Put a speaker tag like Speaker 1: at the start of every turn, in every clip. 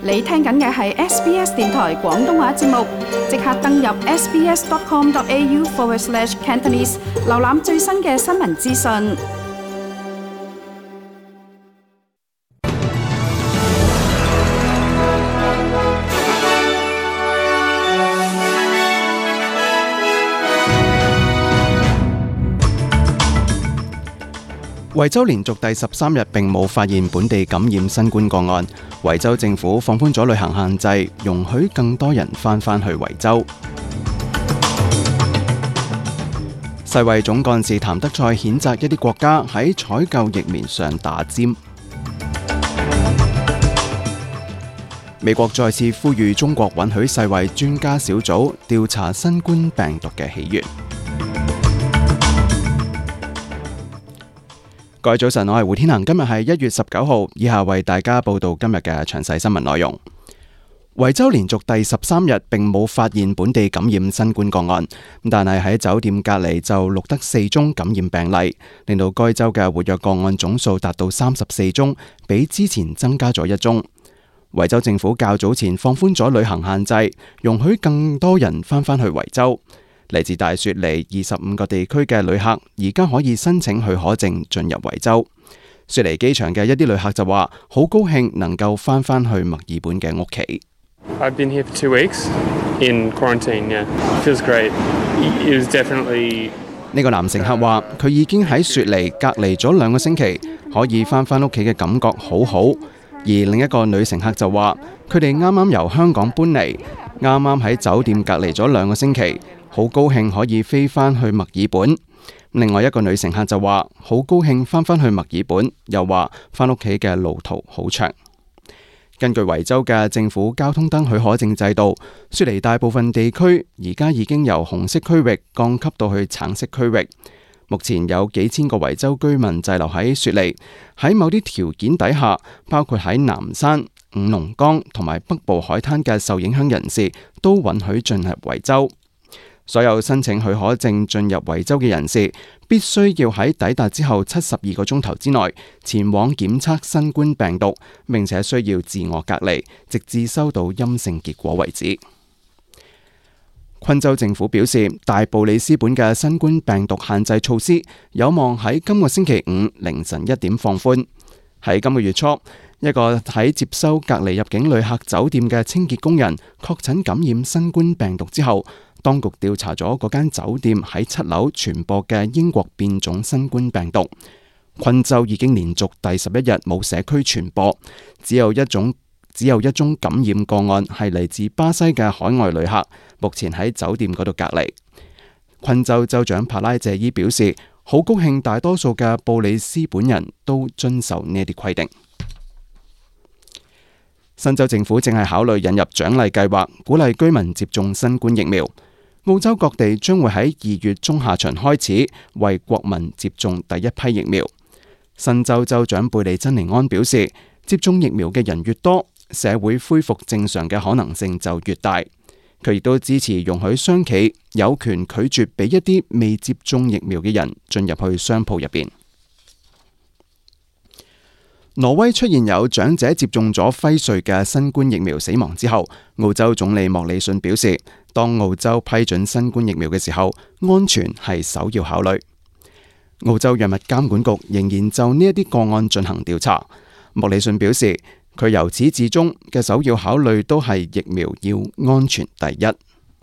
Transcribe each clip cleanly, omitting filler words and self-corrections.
Speaker 1: 你聽緊嘅係 SBS 電台廣東話節目，即刻登入 sbs.com.au/Cantonese 瀏覽最新嘅新聞資訊。
Speaker 2: 維州連續第13日並冇發現本地感染新冠個案，維州政府放寬咗旅行限制，容許更多人返去維州。世衛總幹事譚德塞譴責一啲國家喺採購疫苗上打尖。美國再次呼籲中國允許世衛專家小組調查新冠病毒嘅起源。各位早晨，我係胡天恒，今日係1月19號，以下為大家報道今日嘅詳細新聞內容。維州連續第13日並冇發現本地感染新冠個案，但係喺酒店隔離就錄得4宗感染病例，令到該州嘅活躍個案總數達到34宗，比之前增加咗1宗。維州政府較早前放寬咗旅行限制，容許更多人返去維州。嚟自大雪梨25個地區嘅旅客而家可以申請許可證進入維州。雪梨機場嘅一啲旅客就話好高興能夠返去墨爾本嘅屋企。
Speaker 3: I've been here for 2 weeks in quarantine. Yeah, feels great. It was definitely.
Speaker 2: 呢個男乘客話佢已經喺雪梨隔離咗2個星期，可以返屋企嘅感覺好好。而另一個女乘客就話佢哋啱啱由香港搬嚟，啱啱喺酒店隔離咗2個星期。好高興可以飛返去墨爾本。另外一個女乘客就話好高興返去墨爾本，又話返屋企嘅路途好長。根據維州嘅政府交通燈許可證制度，雪梨大部分地區而家已經由紅色區域降級到去橙色區域。目前有幾千個維州居民滯留喺雪梨，喺某啲條件底下，包括喺南山、五龍崗同埋北部海灘嘅受影響人士都允許進入維州。所有申請許可證進入維州嘅人士，必須要喺抵達之後72個鐘頭之內前往檢測新冠病毒，並且需要自我隔離，直至收到陰性結果為止。昆州政府表示，大布里斯本嘅新冠病毒限制措施有望喺今個星期5凌晨1點放寬。喺今個月初，一個喺接收隔離入境旅客酒店嘅清潔工人確診感染新冠病毒之後，當局調查咗嗰間酒店喺7樓傳播嘅英國變種新冠病毒。昆州已經連續第11日冇社區傳播，只有一宗感染個案係嚟自巴西嘅海外旅客，目前喺酒店嗰度隔離。昆州州長帕拉謝伊表示，好高興大多數嘅布里斯本人都遵守呢啲規定。新州政府正係考慮引入獎勵計劃，鼓勵居民接種新冠疫苗。澳洲各地將會喺2月中下旬開始為國民接種第一批疫苗。新州州長貝利珍尼安表示，接種疫苗嘅人越多，社會恢復正常嘅可能性就越大。佢亦都支持容許商企有權拒絕俾一啲未接種疫苗嘅人進入去商鋪入邊。挪威出現有長者接種咗輝瑞嘅新冠疫苗死亡之後，澳洲總理莫里遜表示，當澳洲批准新冠疫苗嘅時候，安全係首要考慮。澳洲藥物監管局仍然就呢一啲個案進行調查。莫里遜表示，佢由始至終嘅首要考慮都係疫苗要安全第一。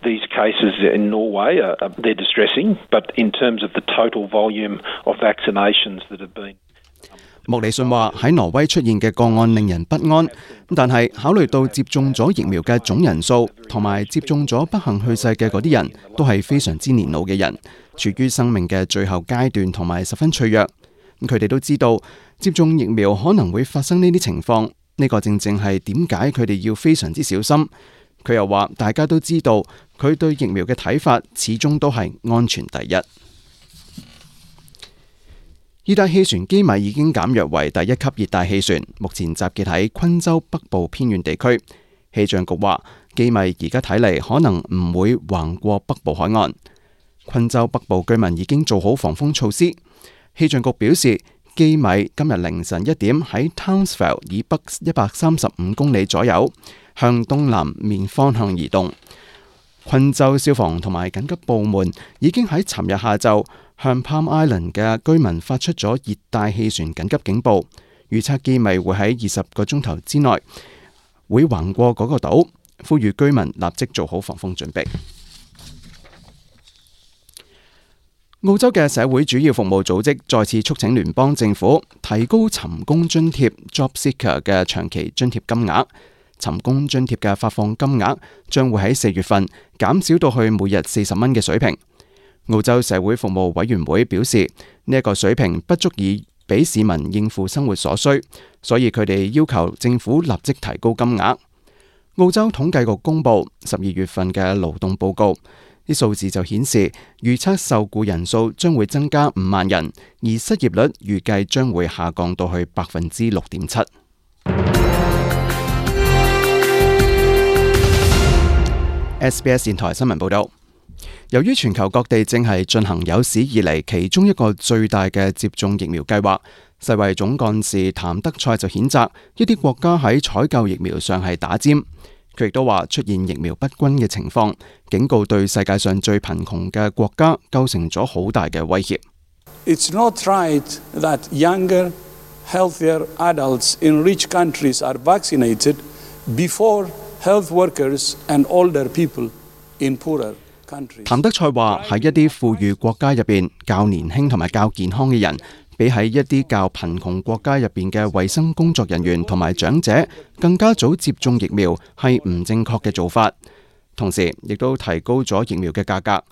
Speaker 4: These cases in Norway they're distressing, but in terms of the total volume of vaccinations that have been。
Speaker 2: 莫里遜話喺挪威出現嘅個案令人不安，但係考慮到接種咗疫苗嘅總人數同埋接種咗不幸去世嘅嗰啲人都係非常之年老嘅人，處於生命嘅最後階段同埋十分脆弱。佢哋都知道接種疫苗可能會發生呢啲情況，呢個正正係點解佢哋要非常之小心。佢又話大家都知道佢對疫苗嘅睇法始終都係安全第一。熱帶氣旋基米已經減弱為第1級熱帶氣旋，目前集結喺昆州北部偏遠地區。氣象局話，基米而家睇嚟可能唔會橫過北部海岸。昆州北部居民已經做好防風措施。氣象局表示，機米今日凌晨1點喺 Townsville 以北135公里左右，向東南面方向移動。昆州消防同埋緊急部門已經喺尋日下晝向 Palm Island 嘅居民發出咗熱帶氣旋緊急警報，預測機米會喺20個鐘頭之內會橫過嗰個島，呼籲居民立即做好防風準備。澳洲嘅社會主要服務組織再次促請聯邦政府提高尋工津貼 Job Seeker 嘅長期津貼金額。尋工津貼嘅發放金額將會喺4月份減少到去每日40蚊嘅水平。澳洲社會服務委員會表示，呢一個水平不足以俾市民應付生活所需，所以佢哋要求政府立即提高金額。澳洲統計局公布12月份嘅勞動報告，啲數字就顯示預測受雇人數將會增加5萬人，而失業率預計將會下降到去6.7%。SBS 電台新聞報道，由於全球各地正係進行有史以嚟其中一個最大嘅接種疫苗計劃，世衛總幹事譚德塞就譴責一啲國家喺採購疫苗上係打尖。佢亦都話出現疫苗不均嘅情況，警告對世界上最貧窮嘅國家構成咗好大嘅威脅。
Speaker 5: It's not right that younger, healthier adults in rich countries are vaccinated before health workers and older people in poorer countries。
Speaker 2: 譚德塞話喺一啲富裕國家入邊，較年輕同埋較健康嘅人，比喺一啲較貧窮國家入邊嘅衛生工作人員同埋長者更加早接種疫苗係唔正確嘅做法，同時亦都提高咗疫苗嘅價格，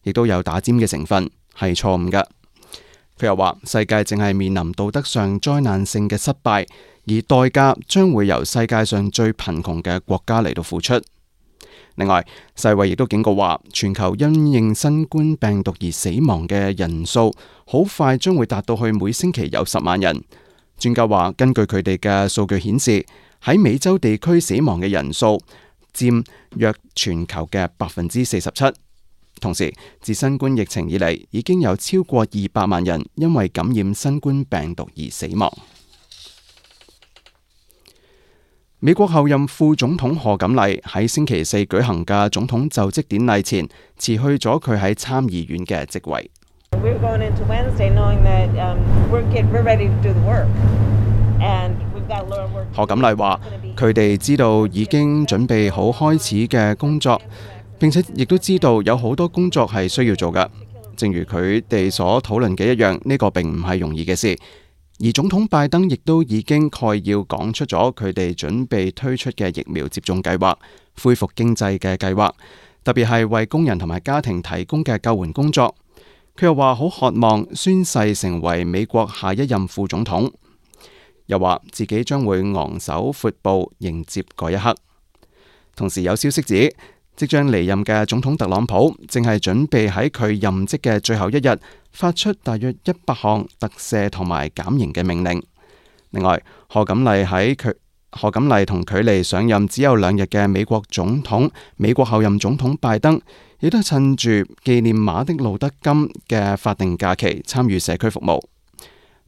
Speaker 2: 亦都有打尖嘅成分，係錯誤嘅。佢又話世界正係面臨道德上災難性嘅失敗，而代價將會由世界上最貧窮嘅國家嚟到付出。另外，世衛亦都警告話，全球因應新冠病毒而死亡嘅人數，好快將會達到去每星期有10萬人。專家話，根據佢哋嘅數據顯示，喺美洲地區死亡嘅人數佔約全球嘅47%。同時，自新冠疫情以嚟，已經有超過200萬人因為感染新冠病毒而死亡。美國後任副總統賀錦麗喺星期4舉行嘅總統就職典禮前辭去咗佢喺參議院嘅職位。賀錦麗話：佢哋知道已經準備好開始嘅工作，並且亦都知道有好多工作係需要做嘅。正如佢哋所討論嘅一樣，呢個並唔係容易嘅事。而總統拜登亦都已經概要講出咗佢哋準備推出嘅疫苗接種計劃、恢復經濟嘅計劃，特別係為工人同埋家庭提供嘅救援工作。佢又話好渴望宣誓成為美國下一任副總統，又話自己將會昂首闊步迎接嗰一刻。同時有消息指，即將離任嘅總統特朗普正係準備喺佢任職嘅最後一日發出大約100項特赦同埋減刑嘅命令。另外，賀錦麗同距離上任只有2日嘅美國後任總統拜登，亦都趁住紀念馬丁路德金嘅法定假期參與社區服務。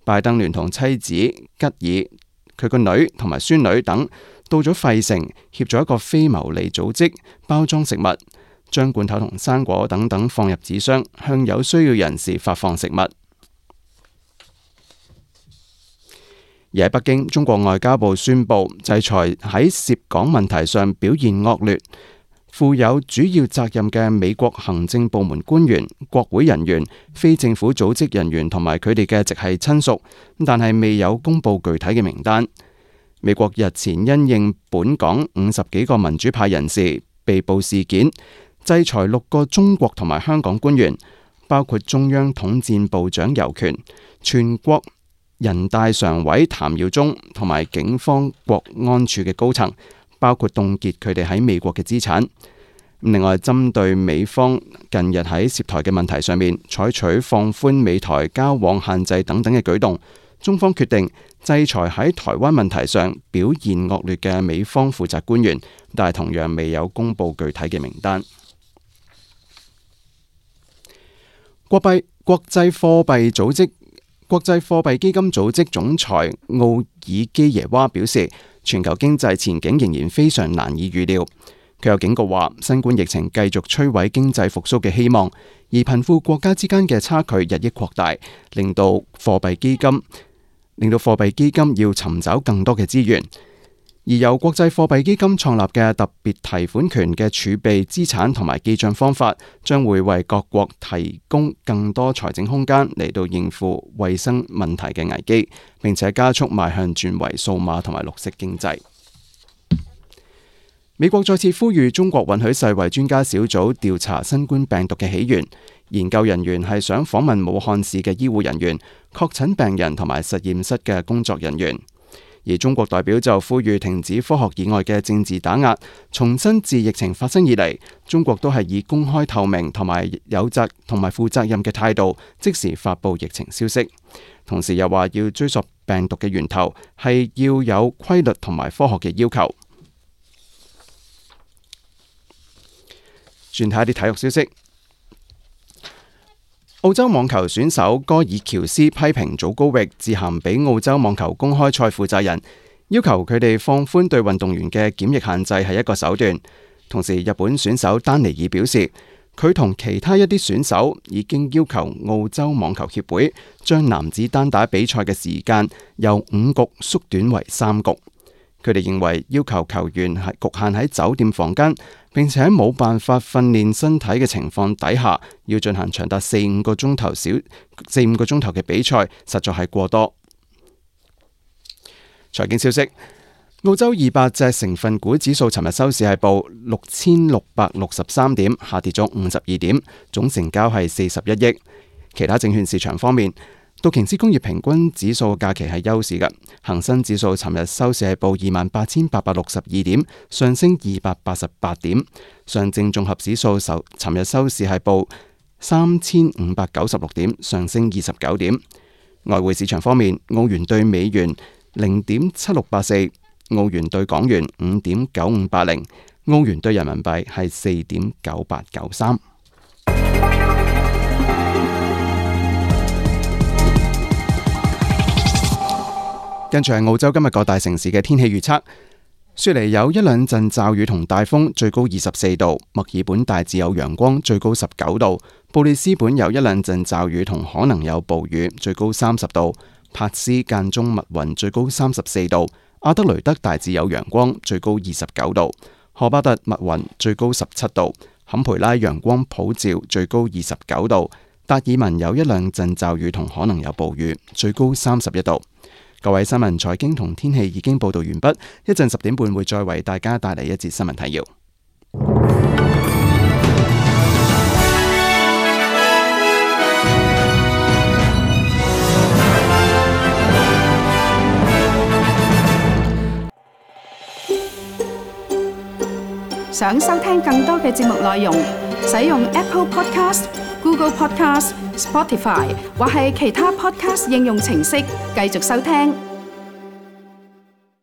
Speaker 2: 拜登聯同妻子吉爾、佢個女同埋孫女等到咗費城，協助一個非牟利組織包裝食物，將罐頭同生果等等放入紙箱，向有需要人士發放食物。而喺北京，中國外交部宣布制裁喺涉港問題上表現惡劣、負有主要責任嘅美國行政部門官員、國會人員、非政府組織人員同埋佢哋嘅直系親屬，但係未有公布具體嘅名單。美國日前因應本港50幾個民主派人士被捕事件，制裁6個中國同埋香港官員，包括中央統戰部長尤權、全國人大常委譚耀宗同埋警方國安處嘅高層，包括凍結佢哋喺美國嘅資產。另外，針對美方近日喺涉台嘅問題上面採取放寬美台交往限制等等嘅舉動，中方決定制裁喺台灣問題上表現惡劣嘅美方負責官員，但係同樣未有公布具體嘅名單。國際貨幣組織國際貨幣基金組織總裁奧爾基耶娃表示，全球經濟前景仍然非常難以預料。佢又警告話，新冠疫情繼續摧毀經濟復甦嘅希望，而貧富國家之間嘅差距日益擴大，令到貨幣基金要尋找更多嘅資源。而由國際貨幣基金創立嘅特別提款權嘅儲備資產同埋記帳方法，將會為各國提供更多財政空間嚟到應付衛生問題嘅危機，並且加速邁向轉為數碼同埋綠色經濟。美國再次呼籲中國允許世衛專家小組調查新冠病毒嘅起源。研究人員係想訪問武漢市嘅醫護人員、確診病人同埋實驗室嘅工作人員。而中國代表就呼籲停止科學以外嘅政治打壓，重申自疫情發生以嚟，中國都係以公開透明同埋有責同埋負責任嘅態度，即時發布疫情消息。同時又話要追溯病毒嘅源頭，係要有規律同埋科學嘅要求。轉睇一啲體育消息。澳洲網球選手戈爾喬斯批評祖高域致函俾澳洲網球公開賽負責人，要求佢哋放寬對運動員嘅檢疫限制係一個手段。同時，日本選手丹尼爾表示，佢同其他一啲選手已經要求澳洲網球協會將男子單打比賽嘅時間由5局縮短為3局。佢哋認為要求球員係局限喺酒店房間，並且喺冇辦法訓練身體嘅情況底下，要進行長達4-5個鐘頭嘅比賽，實在係過多。財經消息：澳洲200隻成分股指數尋日收市係報6663點，下跌咗52點，總成交係41億。其他證券市場方面，道瓊斯工業平均指數假期係休市嘅，恒生指數尋日收市係報28,862點，上升288點。上證綜合指數尋日收市係報3,596點，上升29點。外匯市場方面，澳元兌美元0.7684，澳元兌港元5.9580，澳元兌人民幣係4.9893。跟住係澳洲今日各大城市嘅天氣預測。雪梨有一兩陣驟雨同大風，最高24度；墨爾本大致有陽光，最高19度；布里斯本有一兩陣驟雨同可能有暴雨，最高30度；珀斯間中密雲，最高34度；阿德雷德大致有陽光，最高29度；荷巴特密雲，最高17度；坎培拉陽光普照，最高29度；達爾文有一兩陣驟雨同可能有暴雨，最高31度。各位新聞、財經同天氣已經報道完畢，一陣10點半會再為大家帶嚟一節新聞提要。
Speaker 1: 想收聽更多嘅節目內容，使用 Apple Podcast、Google Podcast、Spotify 或係其他 Podcast 應用程式繼續收聽。